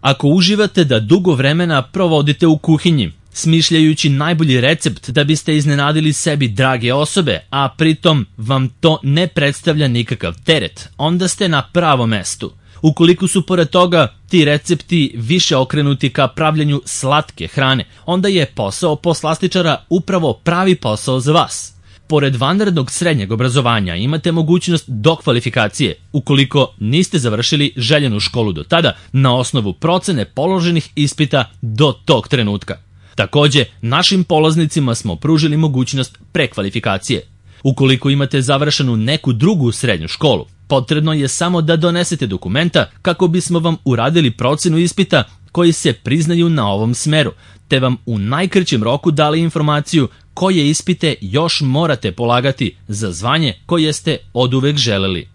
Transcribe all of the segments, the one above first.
Ako uživate da dugo vremena provodite u kuhinji, smišljajući najbolji recept da biste iznenadili sebi drage osobe, a pritom vam to ne predstavlja nikakav teret, onda ste na pravom mestu. Ukoliko su pored toga ti recepti više okrenuti ka pravljenju slatke hrane, onda je posao poslastičara upravo pravi posao za vas. Pored vanrednog srednjeg obrazovanja imate mogućnost dokvalifikacije ukoliko niste završili željenu školu do tada na osnovu procene položenih ispita do tog trenutka. Takođe, našim polaznicima smo pružili mogućnost prekvalifikacije. Ukoliko imate završenu neku drugu srednju školu, potrebno je samo da donesete dokumenta kako bismo vam uradili procenu ispita koji se priznaju na ovom smeru, te vam u najkraćem roku dali informaciju koje ispite još morate polagati za zvanje koje ste oduvek želeli.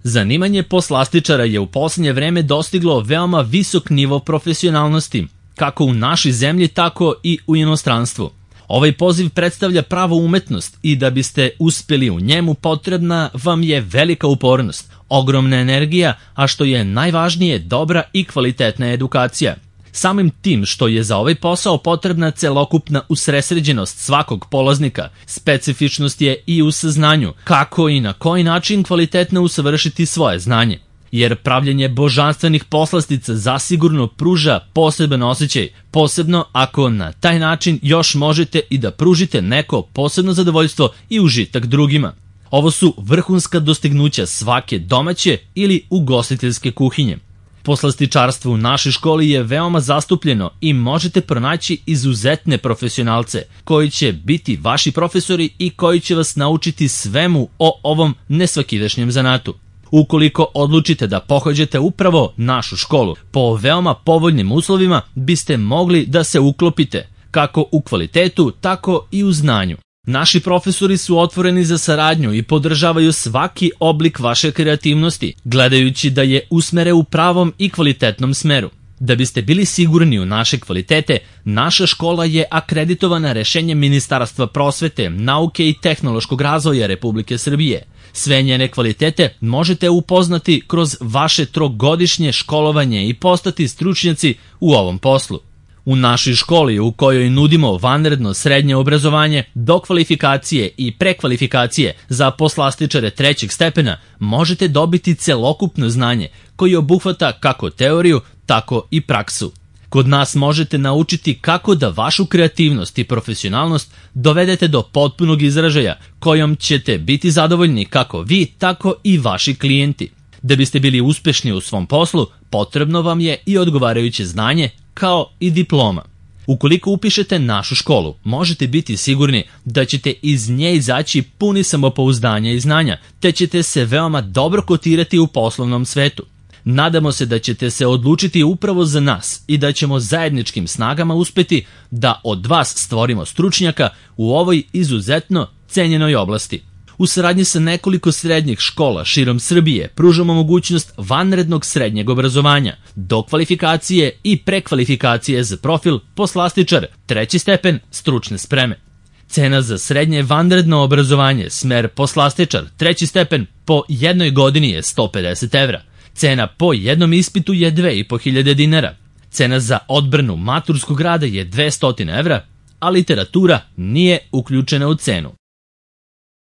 Zanimanje poslastičara je u posljednje vreme dostiglo veoma visok nivo profesionalnosti, kako u našoj zemlji, tako i u inostranstvu. Ovaj poziv predstavlja pravu umetnost i da biste uspjeli u njemu potrebna vam je velika upornost, ogromna energija, a što je najvažnije dobra i kvalitetna edukacija. Samim tim što je za ovaj posao potrebna celokupna usresređenost svakog polaznika, specifičnost je i u saznanju kako i na koji način kvalitetno usavršiti svoje znanje. Jer pravljenje božanstvenih poslastica zasigurno pruža poseban osjećaj, posebno ako na taj način još možete i da pružite neko posebno zadovoljstvo i užitak drugima. Ovo su vrhunska dostignuća svake domaće ili ugostiteljske kuhinje. Poslastičarstvo u našoj školi je veoma zastupljeno i možete pronaći izuzetne profesionalce koji će biti vaši profesori i koji će vas naučiti svemu o ovom nesvakidašnjem zanatu. Ukoliko odlučite da pohađate upravo našu školu, po veoma povoljnim uslovima biste mogli da se uklopite, kako u kvalitetu, tako i u znanju. Naši profesori su otvoreni za saradnju i podržavaju svaki oblik vaše kreativnosti, gledajući da je usmere u pravom i kvalitetnom smeru. Da biste bili sigurni u naše kvalitete, naša škola je akreditovana rešenjem Ministarstva prosvete, nauke i tehnološkog razvoja Republike Srbije. Sve njene kvalitete možete upoznati kroz vaše trogodišnje školovanje i postati stručnjaci u ovom poslu. U našoj školi u kojoj nudimo vanredno srednje obrazovanje, dokvalifikacije i prekvalifikacije za poslastičare trećeg stepena, možete dobiti celokupno znanje koji obuhvata kako teoriju, tako i praksu. Kod nas možete naučiti kako da vašu kreativnost i profesionalnost dovedete do potpunog izražaja, kojom ćete biti zadovoljni kako vi, tako i vaši klijenti. Da biste bili uspešni u svom poslu, potrebno vam je i odgovarajuće znanje, kao i diploma. Ukoliko upišete našu školu, možete biti sigurni da ćete iz nje izaći puni samopouzdanja i znanja, te ćete se veoma dobro kotirati u poslovnom svetu. Nadamo se da ćete se odlučiti upravo za nas i da ćemo zajedničkim snagama uspeti da od vas stvorimo stručnjaka u ovoj izuzetno cenjenoj oblasti. U saradnji sa nekoliko srednjih škola širom Srbije pružamo mogućnost vanrednog srednjeg obrazovanja, dokvalifikacije i prekvalifikacije za profil poslastičar, treći stepen stručne spreme. Cena za srednje vanredno obrazovanje, smer poslastičar, treći stepen po jednoj godini je 150 evra. Cena po jednom ispitu je 2500 dinara. Cena za odbranu maturskog rada je 200 evra, a literatura nije uključena u cenu.